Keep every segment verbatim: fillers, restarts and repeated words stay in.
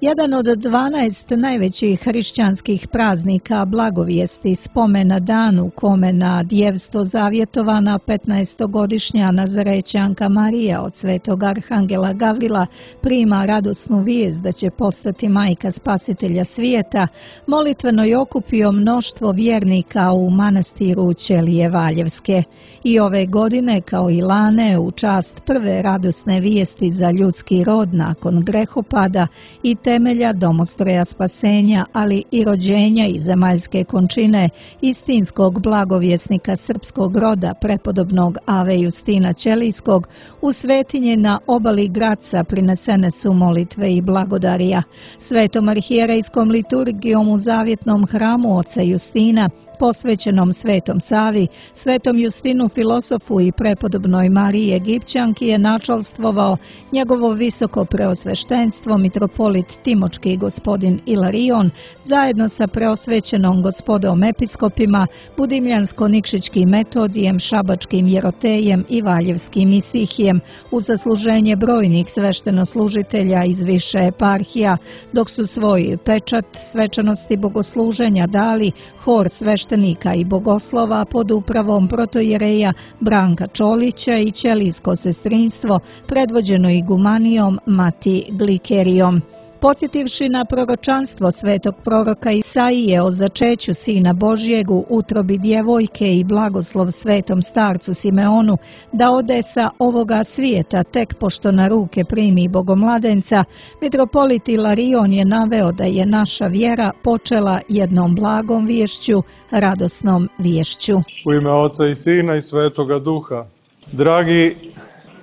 Jedan od dvanaest najvećih hrišćanskih praznika blagovijesti spomena danu kome na djevstvo zavjetovana petnaestogodišnja Nazarećanka Marija od svetog arhangela Gavrila prima radosnu vijest da će postati majka spasitelja svijeta, molitveno je okupio mnoštvo vjernika u manastiru Ćelije Valjevske. I ove godine, kao i lane, u čast prve radosne vijesti za ljudski rod nakon grehopada i temelja domostroja spasenja, ali i rođenja i zemaljske končine istinskog blagovjesnika srpskog roda, prepodobnog Ave Justina Ćelijskog, u svetinje na obali Graca prinesene su molitve i blagodarija. Svetom arhijerejskom liturgijom u zavjetnom hramu oca Justina, posvećenom Svetom Savi, Svetom Justinu filosofu i prepodobnoj Mariji Egipćanki je načalstvovao njegovo visoko preosveštenstvo mitropolit Timočki gospodin Ilarion zajedno sa preosvećenom gospodom episkopima, budimljansko-nikšićkim Metodijem, šabačkim Jerotejem i valjevskim Isihijem u zasluženje brojnih sveštenoslužitelja iz više eparhija, dok su svoj pečat svečanosti bogosluženja dali hor sveštenika i bogoslova pod upravom protojereja Branka Čolića i ćelijsko sestrinstvo predvođeno igumanijom Mati Glikerijom. Podsjetivši na proročanstvo svetog proroka Isaije o začeću Sina Božjeg u utrobi djevojke i blagoslov svetom starcu Simeonu da ode sa ovoga svijeta tek pošto na ruke primi bogomladenca, mitropolit Ilarion je naveo da je naša vjera počela jednom blagom viješću, radosnom viješću. U ime Oca i Sina i Svetoga Duha. Dragi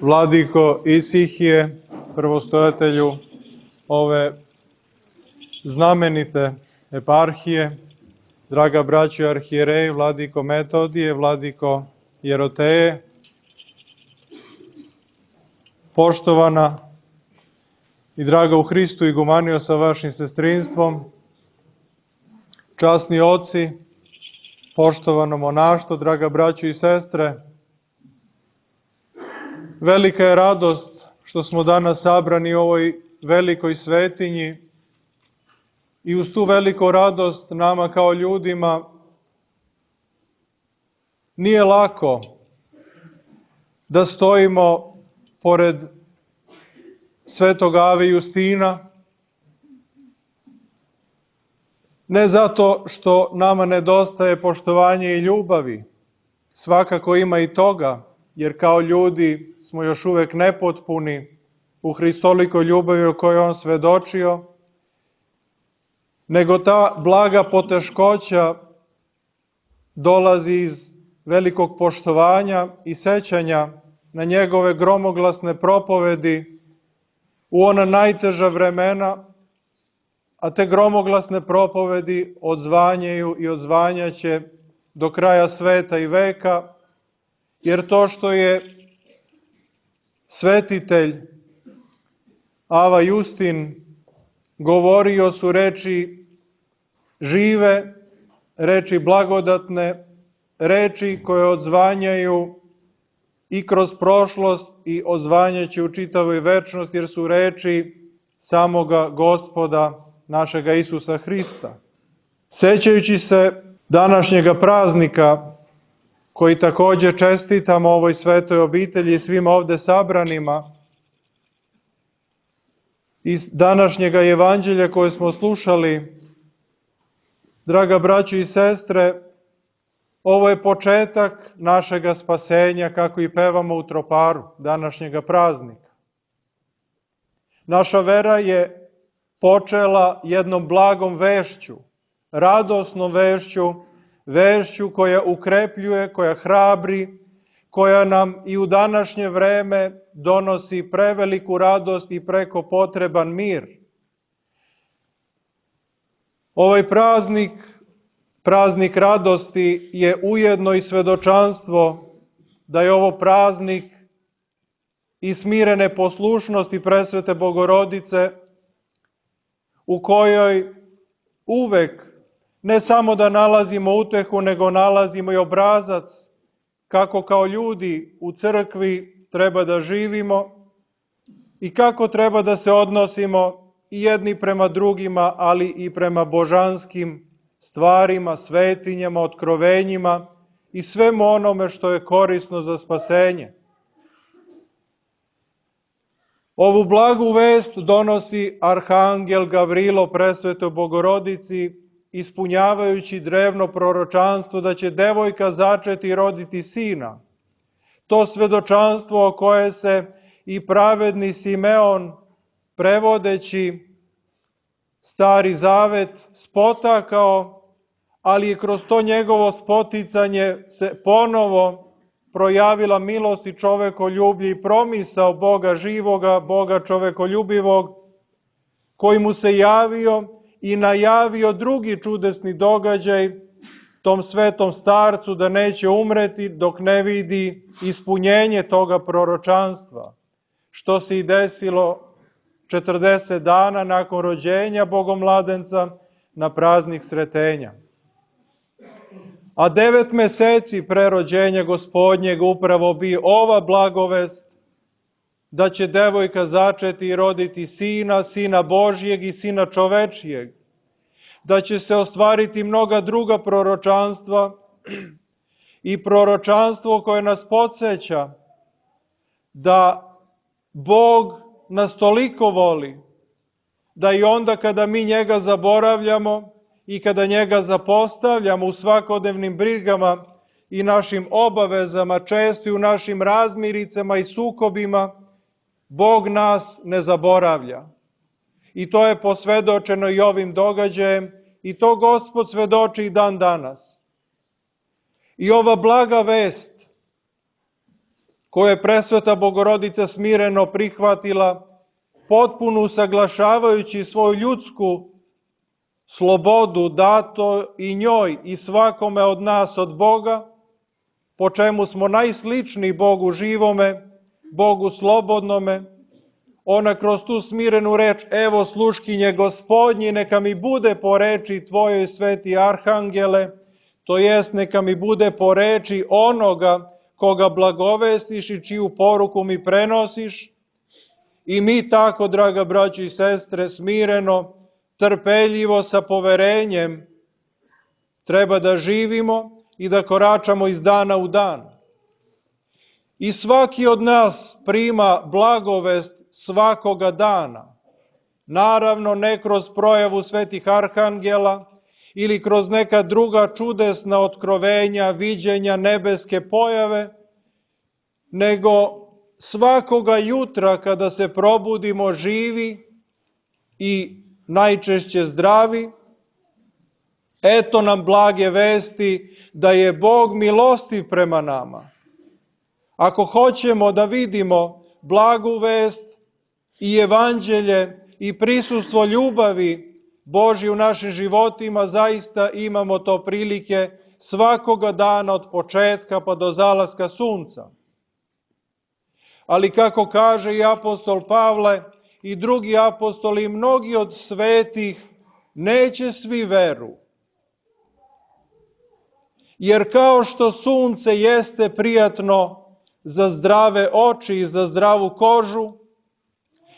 vladiko Isihije, prvostojatelju ove znamenite eparhije, draga braćo arhijereji, vladiko Metodije, vladiko Jeroteje, poštovana i draga u Hristu igumanio sa vašim sestrinstvom, časni oci, poštovano monaštvo, draga braćo i sestre, velika je radost što smo danas sabrani u ovoj velikoj svetinji i uz tu veliku radost nama kao ljudima nije lako da stojimo pored svetog Ave Justina, ne zato što nama nedostaje poštovanje i ljubavi, svakako ima i toga, jer kao ljudi smo još uvek nepotpuni u hristolikoj ljubavi o kojoj on svedočio, nego ta blaga poteškoća dolazi iz velikog poštovanja i sećanja na njegove gromoglasne propovedi u ona najteža vremena, a te gromoglasne propovedi odzvanjaju i odzvanjaće do kraja sveta i veka, jer to što je svetitelj Ava Justin govorio su reči žive, reči blagodatne, reči koje odzvanjaju i kroz prošlost i odzvanjaće u čitavoj večnosti, jer su reči samoga Gospoda našega Isusa Hrista. Sećajući se današnjega praznika, koji također čestitamo ovoj svetoj obitelji i svim ovde sabranima, iz današnjega evanđelja koje smo slušali, draga braćo i sestre, ovo je početak našega spasenja, kako i pevamo u troparu današnjega praznika. Naša vera je počela jednom blagom vešću, radosnom vešću, vešću koja ukrepljuje, koja hrabri, koja nam i u današnje vreme donosi preveliku radost i preko potreban mir. Ovaj praznik, praznik radosti, je ujedno i svedočanstvo da je ovo praznik i smirene poslušnosti presvete Bogorodice, u kojoj uvek ne samo da nalazimo utehu, nego nalazimo i obrazac kako kao ljudi u crkvi treba da živimo i kako treba da se odnosimo i jedni prema drugima, ali i prema božanskim stvarima, svetinjama, otkrovenjima i svemu onome što je korisno za spasenje. Ovu blagu vest donosi arhangel Gavrilo presvetoj Bogorodici, ispunjavajući drevno proročanstvo da će devojka začeti i roditi sina. To svedočanstvo o koje se i pravedni Simeon, prevodeći Stari Zavet, spotakao, ali je kroz to njegovo spoticanje se ponovo projavila milost i čovekoljublje i promisao Boga živoga, Boga čovekoljubivog, koji mu se javio i najavio drugi čudesni događaj tom svetom starcu da neće umreti dok ne vidi ispunjenje toga proročanstva, što se i desilo četrdeset dana nakon rođenja Bogomladenca na praznik Sretenja. A devet meseci pre rođenja Gospodnjeg upravo bi ova blagovest da će devojka začeti i roditi sina, sina Božjeg i sina čovečijeg, da će se ostvariti mnoga druga proročanstva i proročanstvo koje nas podsjeća da Bog nas toliko voli, da i onda kada mi njega zaboravljamo i kada njega zapostavljamo u svakodnevnim brigama i našim obavezama, često i u našim razmiricama i sukobima, Bog nas ne zaboravlja. I to je posvedočeno i ovim događajem i to Gospod svedoči i dan danas. I ova blaga vest koju je presveta Bogorodica smireno prihvatila, potpuno usaglašavajući svoju ljudsku slobodu dato i njoj i svakome od nas od Boga, po čemu smo najsličniji Bogu živome, Bogu slobodnome, ona kroz tu smirenu reč, evo sluškinje Gospodnji, neka mi bude po reči Tvojoj sveti arhangele, to jest neka mi bude po reči onoga koga blagovestiš i čiju poruku mi prenosiš. I mi tako, draga braćo i sestre, smireno, trpeljivo, sa poverenjem, treba da živimo i da koračamo iz dana u dan. I svaki od nas prima blagovest svakoga dana. Naravno, ne kroz projavu svetih arhangela ili kroz neka druga čudesna otkrovenja, viđenja, nebeske pojave, nego svakoga jutra kada se probudimo živi i najčešće zdravi, eto nam blage vesti da je Bog milostiv prema nama. Ako hoćemo da vidimo blagu vest i evanđelje i prisustvo ljubavi Božje u našim životima, zaista imamo to prilike svakoga dana od početka pa do zalaska sunca. Ali kako kaže i apostol Pavle i drugi apostoli, mnogi od svetih neće svi veru. Jer kao što sunce jeste prijatno za zdrave oči i za zdravu kožu,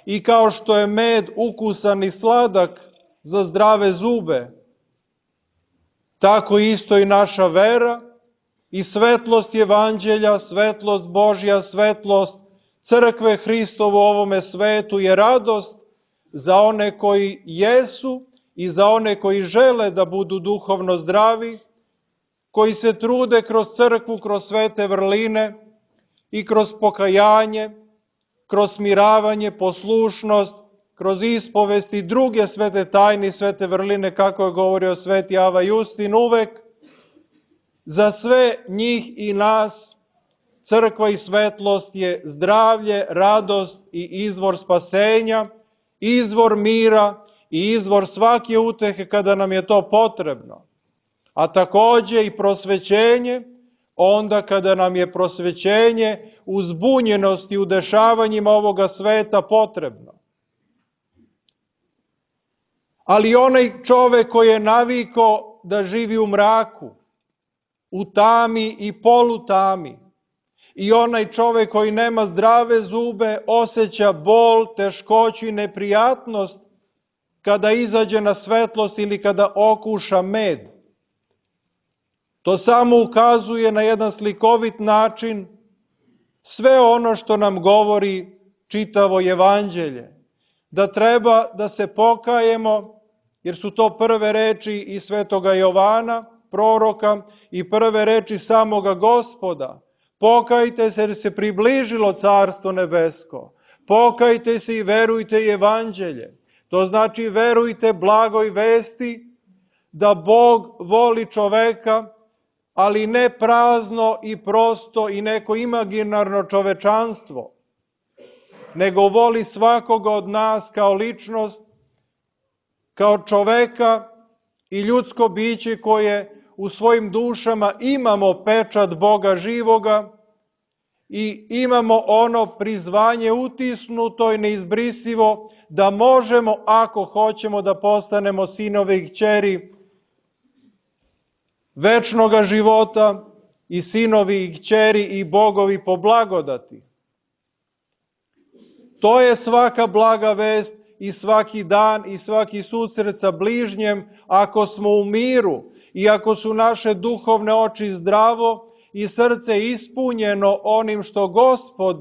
i kao što je med ukusan i sladak za zdrave zube, tako isto i naša vera i svetlost evanđelja, svetlost Božja, svetlost crkve Hristovu u ovome svetu je radost za one koji jesu i za one koji žele da budu duhovno zdravi, koji se trude kroz crkvu, kroz svete vrline i kroz pokajanje, kroz smiravanje, poslušnost, kroz ispovest i druge svete tajne i svete vrline, kako je govorio sveti Ava Justin uvek, za sve njih i nas crkva i svetlost je zdravlje, radost i izvor spasenja, izvor mira i izvor svake utehe kada nam je to potrebno. A takođe i prosvećenje, onda kada nam je prosvećenje u zbunjenosti u dešavanjima ovoga sveta potrebno. Ali onaj čovek koji je navikao da živi u mraku, u tami i polutami, i onaj čovek koji nema zdrave zube, osjeća bol, teškoću i neprijatnost kada izađe na svetlost ili kada okuša med. To samo ukazuje na jedan slikovit način sve ono što nam govori čitavo evanđelje. Da treba da se pokajemo, jer su to prve reči i svetoga Jovana, proroka, i prve reči samoga Gospoda. Pokajte se jer se približilo Carstvo nebesko. Pokajte se i verujte evanđelje. To znači verujte blagoj vesti da Bog voli čoveka, ali ne prazno i prosto i neko imaginarno čovečanstvo, nego voli svakoga od nas kao ličnost, kao čoveka i ljudsko biće koje u svojim dušama imamo pečat Boga živoga i imamo ono prizvanje utisnuto i neizbrisivo da možemo, ako hoćemo, da postanemo sinovi i kćeri večnoga života i sinovi i kćeri i bogovi po blagodati. To je svaka blaga vest i svaki dan i svaki susret sa bližnjem ako smo u miru i ako su naše duhovne oči zdravo i srce ispunjeno onim što Gospod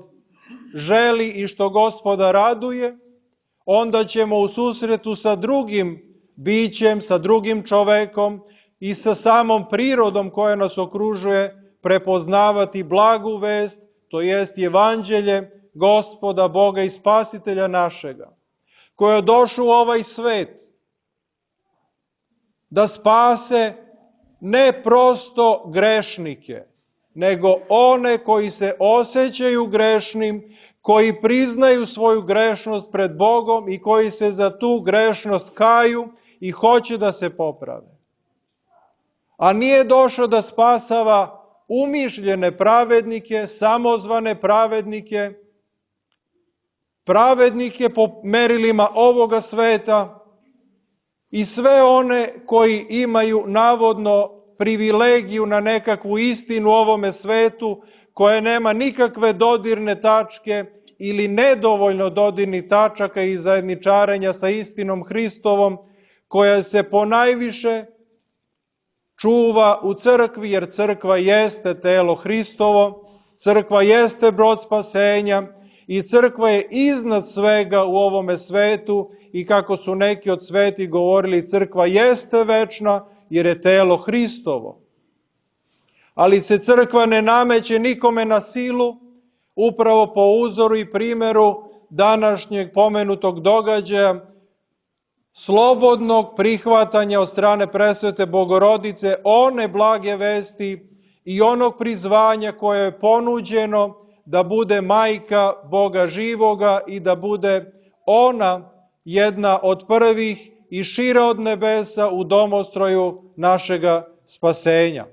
želi i što Gospoda raduje, onda ćemo u susretu sa drugim bićem, sa drugim čovekom i sa samom prirodom koja nas okružuje prepoznavati blagu vest, to jest evanđelje Gospoda, Boga i Spasitelja našega, koji je došao u ovaj svet da spase ne prosto grešnike, nego one koji se osjećaju grešnim, koji priznaju svoju grešnost pred Bogom i koji se za tu grešnost kaju i hoće da se poprave. A nije došao da spasava umišljene pravednike, samozvane pravednike, pravednike po merilima ovoga sveta i sve one koji imaju navodno privilegiju na nekakvu istinu u ovome svetu, koja nema nikakve dodirne tačke ili nedovoljno dodirnih tačaka i zajedničarenja sa istinom Hristovom, koja se ponajviše čuva u crkvi, jer crkva jeste telo Hristovo, crkva jeste brod spasenja i crkva je iznad svega u ovome svetu i kako su neki od sveti govorili, crkva jeste večna jer je telo Hristovo. Ali se crkva ne nameće nikome na silu, upravo po uzoru i primjeru današnjeg pomenutog događaja, slobodnog prihvatanja od strane presvete Bogorodice one blage vesti i onog prizvanja koje je ponuđeno da bude majka Boga živoga i da bude ona jedna od prvih i šira od nebesa u domostroju našega spasenja.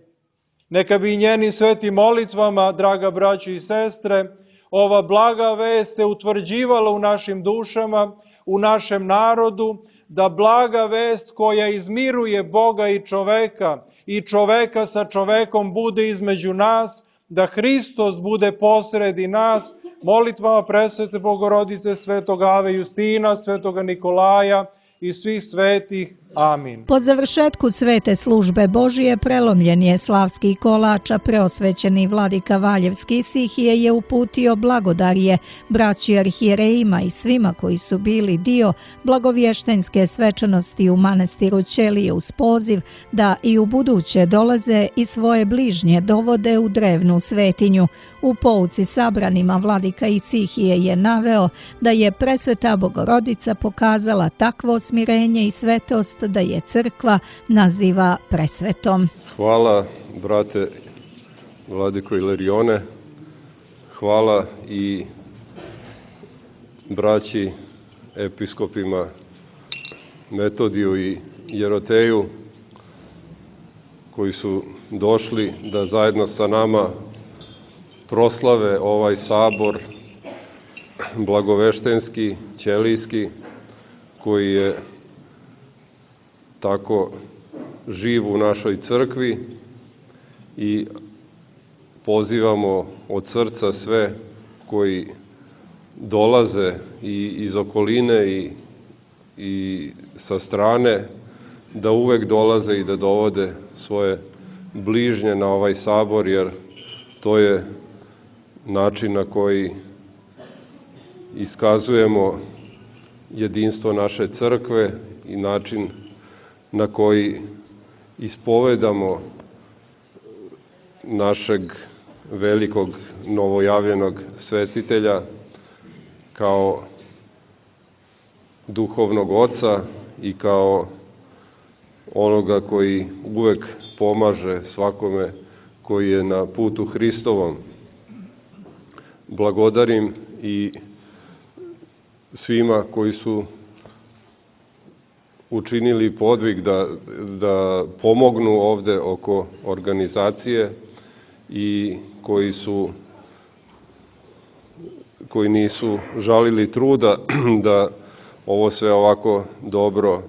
Neka bi njenim svetim molitvama, draga braćo i sestre, ova blaga vest se utvrđivala u našim dušama, u našem narodu, da blaga vest koja izmiruje Boga i čoveka i čoveka sa čovekom bude između nas, da Hristos bude posredi nas, molitvama presvete Bogorodice, svetog Ave Justina, svetoga Nikolaja i svih svetih. Amin. Po završetku svete službe Božije prelomljen je slavski kolač, a preosvećeni vladika Valjevski Sihije je uputio blagodarje braći arhijerejima i svima koji su bili dio blagovještenjske svečanosti u manastiru Ćelije uz poziv da i u buduće dolaze i svoje bližnje dovode u drevnu svetinju. U pouci sabranima vladika Isihije je naveo da je presveta Bogorodica pokazala takvo smirenje i svetost da je crkva naziva presvetom. Hvala, brate vladiko Ilarione, hvala i braći episkopima Metodiju i Jeroteju koji su došli da zajedno sa nama proslave ovaj sabor blagoveštenski, ćelijski, koji je tako živ u našoj crkvi i pozivamo od srca sve koji dolaze i iz okoline i i sa strane, da uvek dolaze i da dovode svoje bližnje na ovaj sabor, jer to je način na koji iskazujemo jedinstvo naše crkve i način na koji ispovedamo našeg velikog novojavljenog svetitelja kao duhovnog oca i kao onoga koji uvek pomaže svakome koji je na putu Hristovom. Blagodarim i svima koji su učinili podvig da, da pomognu ovde oko organizacije i koji su koji nisu žalili truda da ovo sve ovako dobro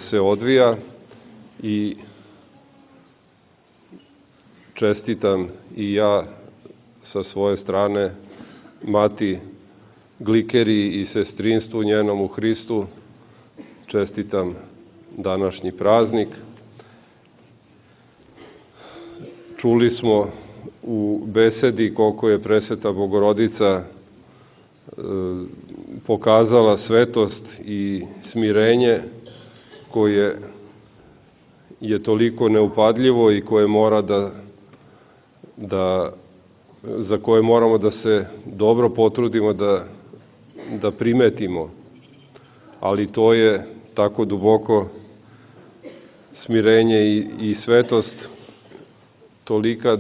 se odvija, i čestitam i ja sa svoje strane mati Glikeriji i sestrinstvu njenom u Hristu. Čestitam današnji praznik. Čuli smo u besedi koliko je Presveta Bogorodica pokazala svetost i smirenje koje je toliko neupadljivo i koje mora da, da, za koje moramo da se dobro potrudimo da, da primetimo. Ali to je tako duboko smirenje i, i svetost tolika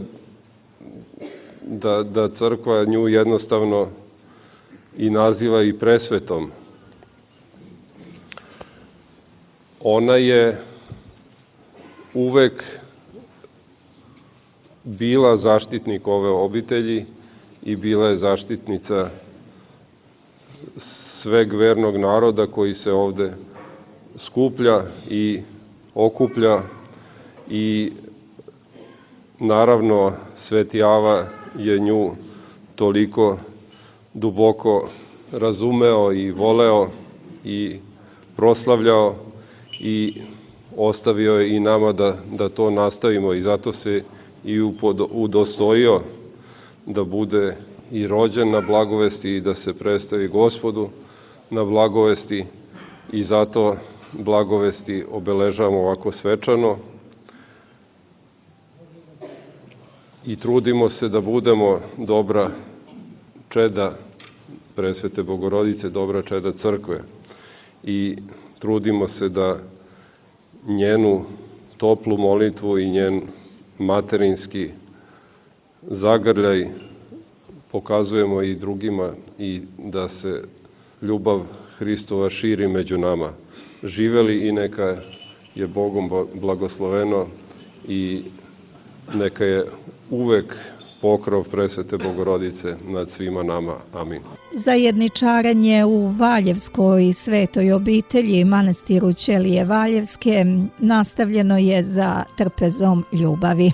da, da crkva nju jednostavno i naziva i presvetom. Ona je uvek bila zaštitnik ove obitelji i bila je zaštitnica sveg vernog naroda koji se ovde skuplja i okuplja, i naravno Sveti Ava je nju toliko duboko razumeo i voleo i proslavljao i ostavio je i nama da, da to nastavimo, i zato se i udostojio da bude i rođen na blagovesti i da se predstavi Gospodu na blagovesti, i zato blagovesti obeležavamo ovako svečano i trudimo se da budemo dobra čeda Presvete Bogorodice, dobra čeda crkve, i trudimo se da njenu toplu molitvu i njen materinski zagrljaj pokazujemo i drugima, i da se ljubav Hristova širi među nama. Živeli i neka je Bogom blagosloveno i neka je uvek pokrov Presvete Bogorodice nad svima nama. Amin. Zajedničarenje u Valjevskoj svetoj obitelji manastiru Ćelije Valjevske nastavljeno je za trpezom ljubavi.